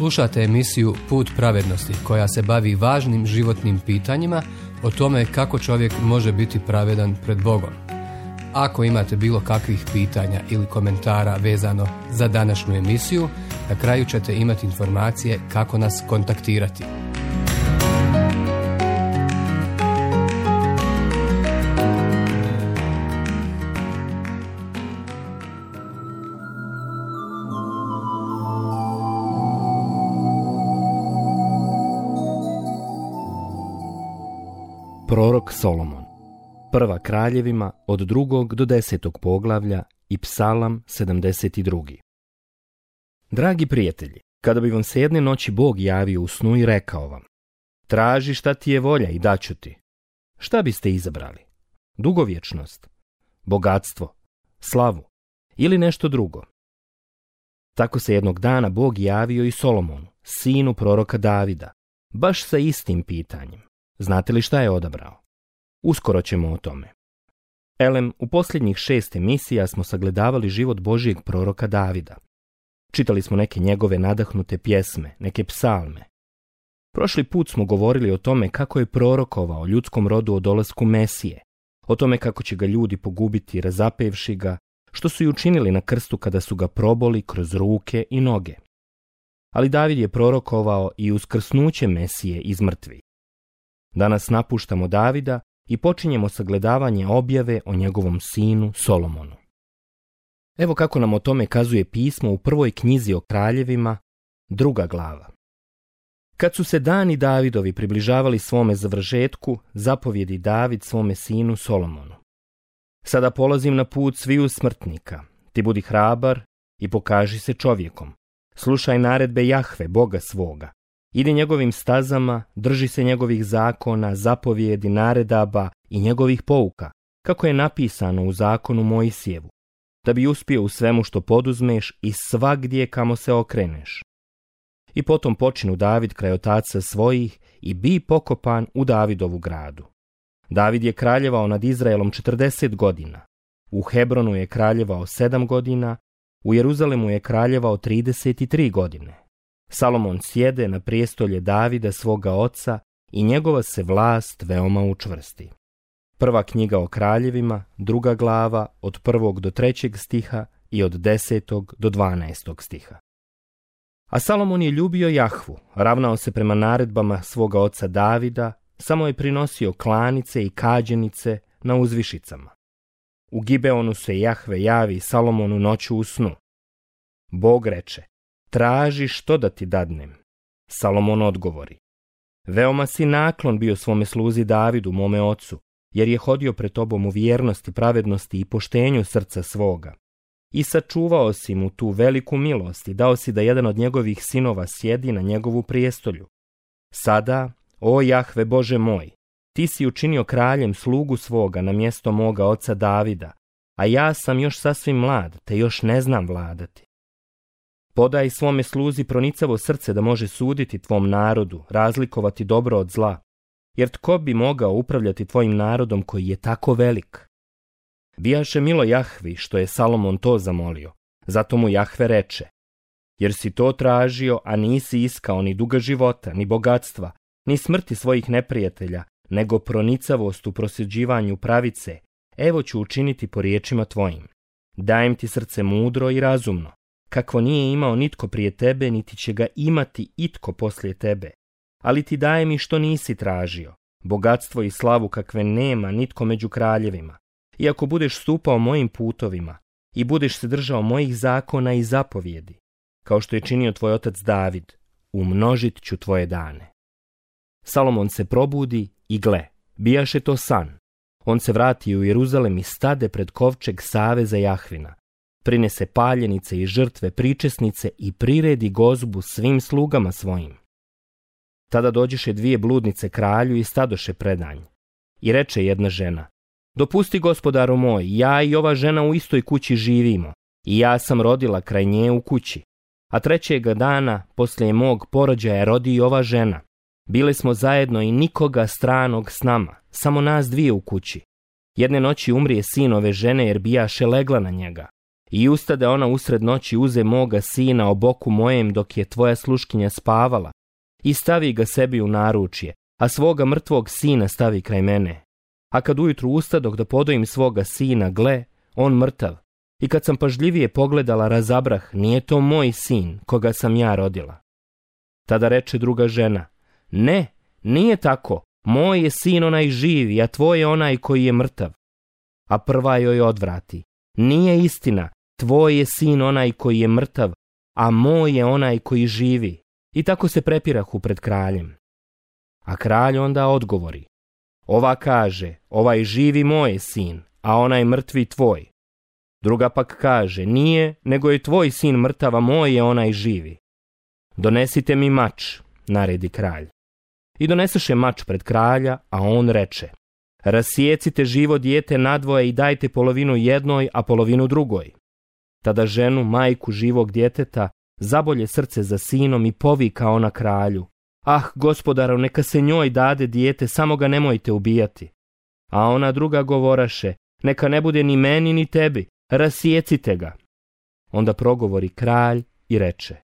Slušate emisiju Put pravednosti koja se bavi važnim životnim pitanjima o tome kako čovjek može biti pravedan pred Bogom. Ako imate bilo kakvih pitanja ili komentara vezano za današnju emisiju, na kraju ćete imati informacije kako nas kontaktirati. Prorok Solomon, Prva Kraljevima od 2. do 10. poglavlja i Psalam 72. Dragi prijatelji, kada bi vam se jedne noći Bog javio u snu i rekao vam: traži šta ti je volja i daću ti, šta biste izabrali? Dugovječnost, bogatstvo, slavu ili nešto drugo? Tako se jednog dana Bog javio i Solomonu, sinu proroka Davida, baš sa istim pitanjem. Znate li šta je odabrao? Uskoro ćemo o tome. U posljednjih 6 emisija smo sagledavali život Božijeg proroka Davida. Čitali smo neke njegove nadahnute pjesme, neke psalme. Prošli put smo govorili o tome kako je prorokovao ljudskom rodu o dolasku Mesije, o tome kako će ga ljudi pogubiti razapevši ga, što su i učinili na krstu kada su ga proboli kroz ruke i noge. Ali David je prorokovao i uskrsnuće Mesije iz mrtvih. Danas napuštamo Davida i počinjemo sagledavanje objave o njegovom sinu Solomonu. Evo kako nam o tome kazuje pismo u prvoj knjizi o kraljevima, 2. glava. Kad su se dani Davidovi približavali svome završetku, zapovjedi David svome sinu Solomonu: sada polazim na put sviju smrtnika, ti budi hrabar i pokaži se čovjekom. Slušaj naredbe Jahve, Boga svoga. Idi njegovim stazama, drži se njegovih zakona, zapovjedi, naredaba i njegovih pouka, kako je napisano u zakonu Mojsijevu, da bi uspio u svemu što poduzmeš i svagdje kamo se okreneš. I potom počinu David kraj otaca svojih i bi pokopan u Davidovu gradu. David je kraljevao nad Izraelom 40 godina, u Hebronu je kraljevao 7 godina, u Jeruzalemu je kraljevao 33 godine. Salomon sjede na prijestolje Davida svoga oca i njegova se vlast veoma učvrsti. Prva knjiga o kraljevima, 2. glava, od 1. do 3. stiha i od 10. do 12. stiha. A Salomon je ljubio Jahvu, ravnao se prema naredbama svoga oca Davida, samo je prinosio klanice i kađenice na uzvišicama. U Gibeonu se Jahve javi Salomonu noću u snu. Bog reče: traži što da ti dadnem. Salomon odgovori: veoma si naklon bio svome sluzi Davidu, mome ocu, jer je hodio pred tobom u vjernosti, pravednosti i poštenju srca svoga. I sačuvao si mu tu veliku milost i dao si da jedan od njegovih sinova sjedi na njegovu prijestolju. Sada, o Jahve Bože moj, ti si učinio kraljem slugu svoga na mjesto moga oca Davida, a ja sam još sasvim mlad, te još ne znam vladati. Podaj svome sluzi pronicavo srce da može suditi tvom narodu, razlikovati dobro od zla, jer tko bi mogao upravljati tvojim narodom koji je tako velik? Bijaše milo Jahvi što je Salomon to zamolio, zato mu Jahve reče: jer si to tražio, a nisi iskao ni duga života, ni bogatstva, ni smrti svojih neprijatelja, nego pronicavost u prosjeđivanju pravice, evo ću učiniti po riječima tvojim. Dajem ti srce mudro i razumno, kakvo nije imao nitko prije tebe, niti će ga imati itko poslije tebe. Ali ti dajem i što nisi tražio, bogatstvo i slavu kakve nema nitko među kraljevima. I ako budeš stupao mojim putovima i budeš se držao mojih zakona i zapovjedi, kao što je činio tvoj otac David, umnožit ću tvoje dane. Salomon se probudi i gle, bijaše to san. On se vrati u Jeruzalem i stade pred kovčeg saveza Jahvina. Prinese paljenice i žrtve, pričesnice i priredi gozbu svim slugama svojim. Tada dođeše 2 bludnice kralju i stadoše predanj. I reče jedna žena: dopusti, gospodaru moj, ja i ova žena u istoj kući živimo, i ja sam rodila kraj nje u kući. A 3. dana poslije mog porođaja rodi i ova žena. Bili smo zajedno i nikoga stranog s nama, samo nas 2 u kući. Jedne noći umrije sin ove žene jer bijaše legla na njega. I ustade ona usred noći, uze moga sina o boku mojem dok je tvoja sluškinja spavala i stavi ga sebi u naručje, a svoga mrtvog sina stavi kraj mene. A kad ujutru ustadoh da podojim svoga sina, gle, on mrtav. I kad sam pažljivije pogledala, razabrah, nije to moj sin, koga sam ja rodila. Tada reče druga žena, ne, nije tako, moj je sin onaj živi, a tvoj je onaj koji je mrtav. A prva joj odvrati, nije istina, tvoj je sin onaj koji je mrtav, a moj je onaj koji živi. I tako se prepirahu pred kraljem. A kralj onda odgovori, ova kaže, ovaj živi moj je sin, a onaj mrtvi tvoj. Druga pak kaže, nije, nego je tvoj sin mrtav, a moj je onaj živi. Donesite mi mač, naredi kralj. I doneseše mač pred kralja, a on reče, rasijecite živo dijete nadvoje i dajte polovinu jednoj, a polovinu drugoj. Tada ženu, majku živog djeteta, zabolje srce za sinom i povika ona kralju, ah, gospodaru, neka se njoj dade dijete, samo ga nemojte ubijati. A ona druga govoraše, neka ne bude ni meni ni tebi, rasijecite ga. Onda progovori kralj i reče,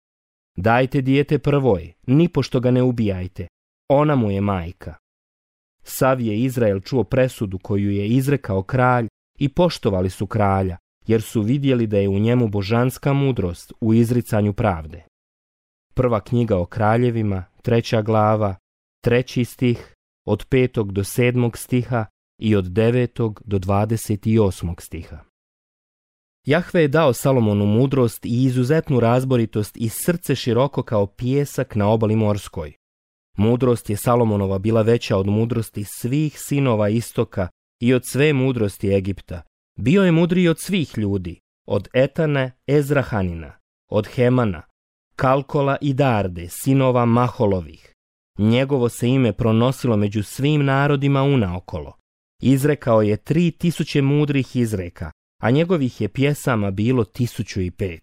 dajte dijete prvoj, nipošto ga ne ubijajte, ona mu je majka. Sav je Izrael čuo presudu koju je izrekao kralj i poštovali su kralja, jer su vidjeli da je u njemu božanska mudrost u izricanju pravde. Prva knjiga o kraljevima, 3. glava, 3. stih, od 5. do 7. stiha i od 9. do 28. stiha. Jahve je dao Salomonu mudrost i izuzetnu razboritost i srce široko kao pijesak na obali morskoj. Mudrost je Salomonova bila veća od mudrosti svih sinova istoka i od sve mudrosti Egipta. Bio je mudriji od svih ljudi, od Etana, Ezrahanina, od Hemana, Kalkola i Darde, sinova Maholovih. Njegovo se ime pronosilo među svim narodima unaokolo. Izrekao je 3000 mudrih izreka, a njegovih je pjesama bilo 1005.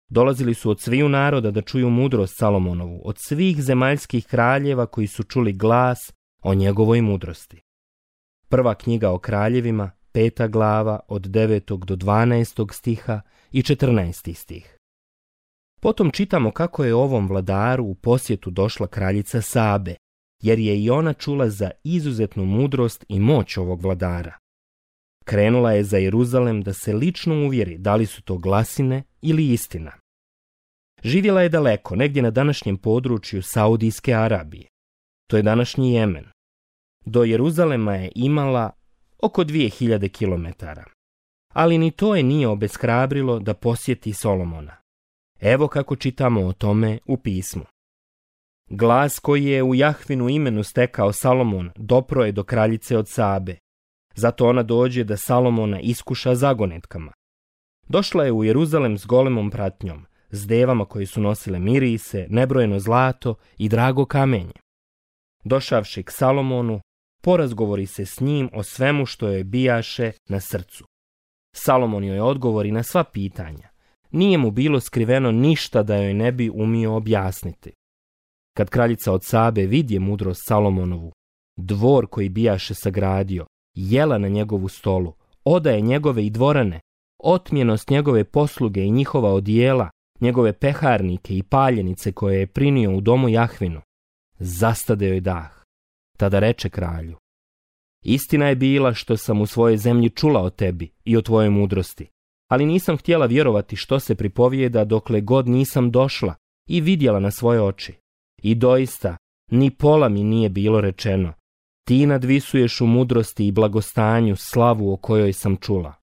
Dolazili su od sviju naroda da čuju mudrost Salomonovu, od svih zemaljskih kraljeva koji su čuli glas o njegovoj mudrosti. Prva knjiga o kraljevima, 5. glava, od 9. do 12. stiha i 14. stih. Potom čitamo kako je ovom vladaru u posjetu došla kraljica Sabe, jer je i ona čula za izuzetnu mudrost i moć ovog vladara. Krenula je za Jeruzalem da se lično uvjeri da li su to glasine ili istina. Živjela je daleko, negdje na današnjem području Saudijske Arabije. To je današnji Jemen. Do Jeruzalema je imala oko 2000 kilometara. Ali ni to je nije obeshrabrilo da posjeti Solomona. Evo kako čitamo o tome u pismu. Glas koji je u Jahvinu imenu stekao Salomon dopro je do kraljice od Sabe. Zato ona dođe da Salomona iskuša zagonetkama. Došla je u Jeruzalem s golemom pratnjom, s devama koje su nosile mirise, nebrojeno zlato i drago kamenje. Došavši k Salomonu, porazgovori se s njim o svemu što joj bijaše na srcu. Salomon joj odgovori na sva pitanja. Nije mu bilo skriveno ništa da joj ne bi umio objasniti. Kad kraljica od Sabe vidje mudrost Salomonovu, dvor koji bijaše sagradio, jela na njegovu stolu, odaje njegove i dvorane, otmjenost njegove posluge i njihova odijela, njegove peharnike i paljenice koje je prinio u domu Jahvinu, zastade joj dah. Tada reče kralju, istina je bila što sam u svojoj zemlji čula o tebi i o tvojoj mudrosti, ali nisam htjela vjerovati što se pripovijeda dokle god nisam došla i vidjela na svoje oči. I doista, ni pola mi nije bilo rečeno. Ti nadvisuješ u mudrosti i blagostanju slavu o kojoj sam čula.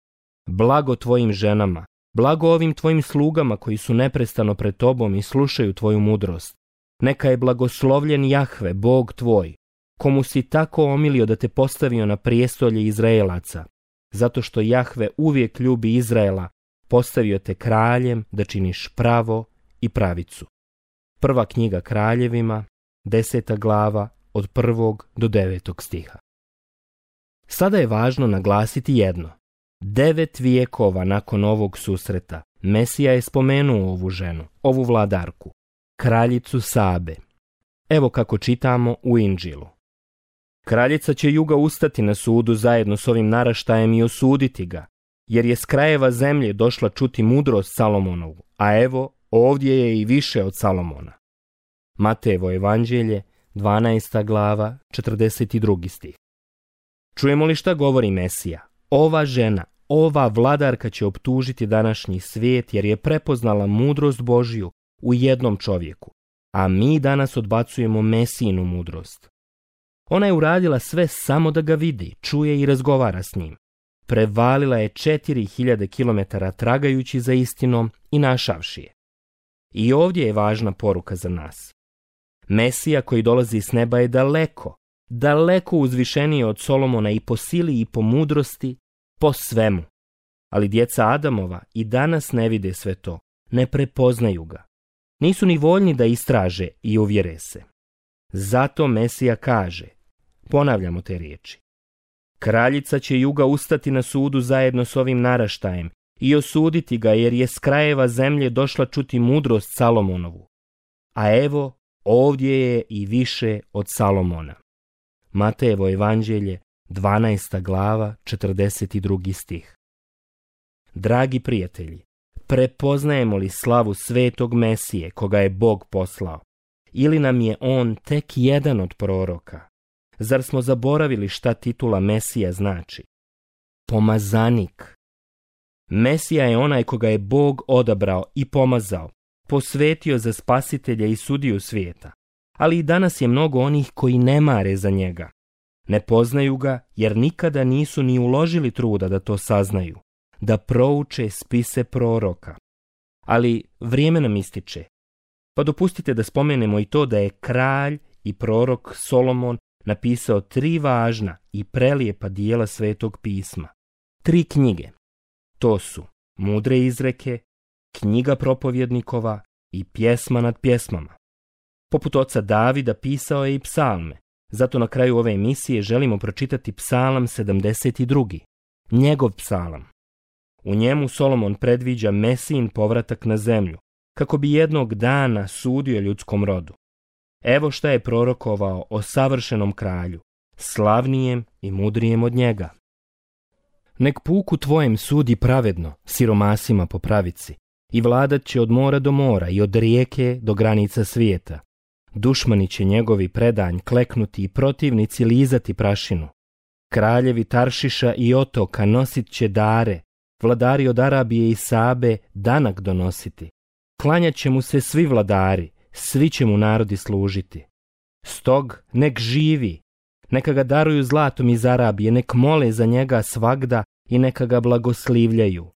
Blago tvojim ženama, blago ovim tvojim slugama koji su neprestano pred tobom i slušaju tvoju mudrost. Neka je blagoslovljen Jahve, Bog tvoj, komu si tako omilio da te postavio na prijestolje Izraelaca, zato što Jahve uvijek ljubi Izraela, postavio te kraljem da činiš pravo i pravicu. Prva knjiga kraljevima, 10. glava, od 1. do 9. stiha. Sada je važno naglasiti jedno. 9 vijekova nakon ovog susreta, Mesija je spomenuo ovu ženu, ovu vladarku, kraljicu Sabe. Evo kako čitamo u Inđilu. Kraljica će juga ustati na sudu zajedno s ovim naraštajem i osuditi ga, jer je s krajeva zemlje došla čuti mudrost Salomonovu, a evo, ovdje je i više od Salomona. Matejevo evanđelje, 12. glava, 42. stih. Čujemo li šta govori Mesija? Ova žena, ova vladarka će optužiti današnji svijet jer je prepoznala mudrost Božju u jednom čovjeku, a mi danas odbacujemo Mesijinu mudrost. Ona je uradila sve samo da ga vidi, čuje i razgovara s njim. Prevalila je 4000 km tragajući za istinom i našavši je. I ovdje je važna poruka za nas. Mesija koji dolazi s neba je daleko, daleko uzvišeniji od Solomona i po sili i po mudrosti, po svemu. Ali djeca Adamova i danas ne vide sve to, ne prepoznaju ga. Nisu ni voljni da istraže i uvjere se. Zato Mesija kaže, ponavljamo te riječi, kraljica će juga ustati na sudu zajedno s ovim naraštajem i osuditi ga jer je s krajeva zemlje došla čuti mudrost Salomonovu. A evo, ovdje je i više od Salomona. Matejevo evanđelje, 12. glava, 42. stih. Dragi prijatelji, prepoznajemo li slavu svetog Mesije koga je Bog poslao? Ili nam je on tek jedan od proroka? Zar smo zaboravili šta titula Mesija znači? Pomazanik. Mesija je onaj koga je Bog odabrao i pomazao, posvetio za spasitelja i sudiju svijeta. Ali i danas je mnogo onih koji ne mare za njega. Ne poznaju ga jer nikada nisu ni uložili truda da to saznaju, da prouče spise proroka. Ali vrijeme nam ističe. Pa dopustite da spomenemo i to da je kralj i prorok Solomon napisao 3 važna i prelijepa dijela Svetog pisma. 3 knjige. To su Mudre izreke, Knjiga propovjednikova i Pjesma nad pjesmama. Poput oca Davida pisao je i psalme, zato na kraju ove emisije želimo pročitati psalam 72. Njegov psalam. U njemu Solomon predviđa Mesijin povratak na zemlju, kako bi jednog dana sudio ljudskom rodu. Evo šta je prorokovao o savršenom kralju, slavnijem i mudrijem od njega. Nek puku tvojem sudi pravedno, siromasima po pravici, i vladat će od mora do mora i od rijeke do granica svijeta. Dušmani će njegovi predanj kleknuti i protivnici lizati prašinu. Kraljevi Taršiša i otoka nosit će dare, vladari od Arabije i Sabe danak donositi. Klanjat će mu se svi vladari, svi će mu narodi služiti. Stog nek živi, neka ga daruju zlatom iz Arabije, nek mole za njega svagda i neka ga blagoslivljaju.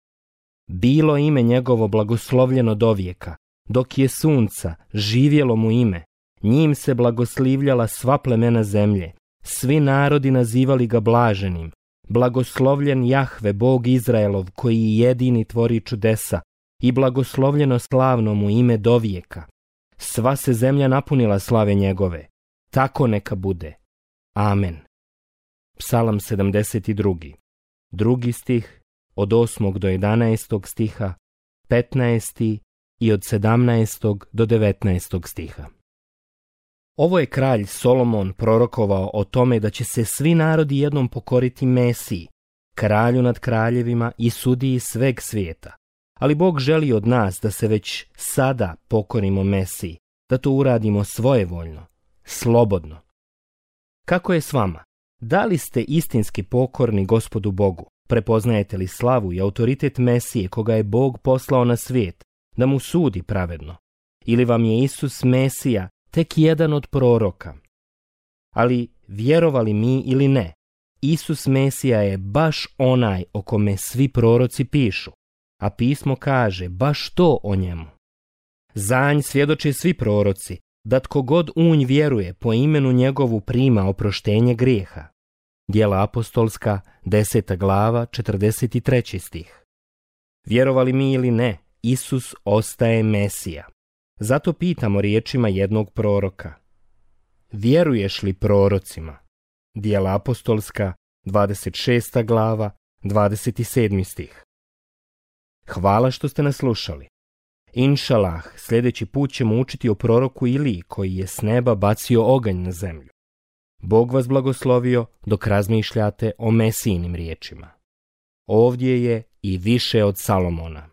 Bilo ime njegovo blagoslovljeno dovijeka, dok je sunca, živjelo mu ime, njim se blagoslivljala sva plemena zemlje, svi narodi nazivali ga blaženim. Blagoslovljen Jahve, Bog Izraelov, koji jedini tvori čudesa, i blagoslovljeno slavno mu ime dovijeka. Sva se zemlja napunila slave njegove. Tako neka bude. Amen. Psalam 72. 2. stih, od 8. do 11. stiha, 15. i od 17. do 19. stiha. Ovo je kralj Solomon prorokovao o tome da će se svi narodi jednom pokoriti Mesiji, kralju nad kraljevima i sudiji sveg svijeta. Ali Bog želi od nas da se već sada pokorimo Mesiji, da to uradimo svojevoljno, slobodno. Kako je s vama? Da li ste istinski pokorni Gospodu Bogu? Prepoznajete li slavu i autoritet Mesije koga je Bog poslao na svijet, da mu sudi pravedno? Ili vam je Isus Mesija tek jedan od proroka? Ali vjerovali mi ili ne, Isus Mesija je baš onaj o kome svi proroci pišu, a pismo kaže baš to o njemu. Za nj svjedoče svi proroci, da tko god u nj vjeruje po imenu njegovu prima oproštenje grijeha. Djela apostolska, 10. glava, 43. stih. Vjerovali mi ili ne, Isus ostaje Mesija. Zato pitamo riječima jednog proroka. Vjeruješ li prorocima? Djela apostolska, 26. glava, 27. stih. Hvala što ste nas slušali. Inšalah, sljedeći put ćemo učiti o proroku Iliji koji je s neba bacio oganj na zemlju. Bog vas blagoslovio dok razmišljate o Mesijinim riječima. ovdje je i više od Salomona.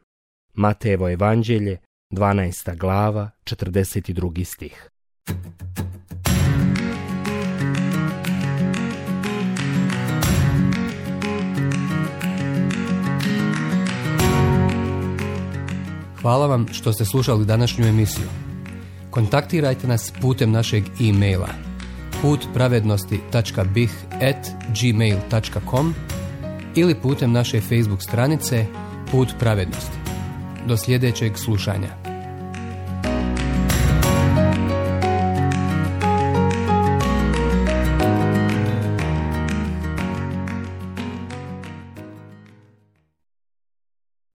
Matejevo evanđelje, 12. glava, 42. stih. Hvala vam što ste slušali današnju emisiju. Kontaktirajte nas putem našeg e-maila putpravednosti.bih@gmail.com ili putem naše Facebook stranice Put pravednosti. Do sljedećeg slušanja.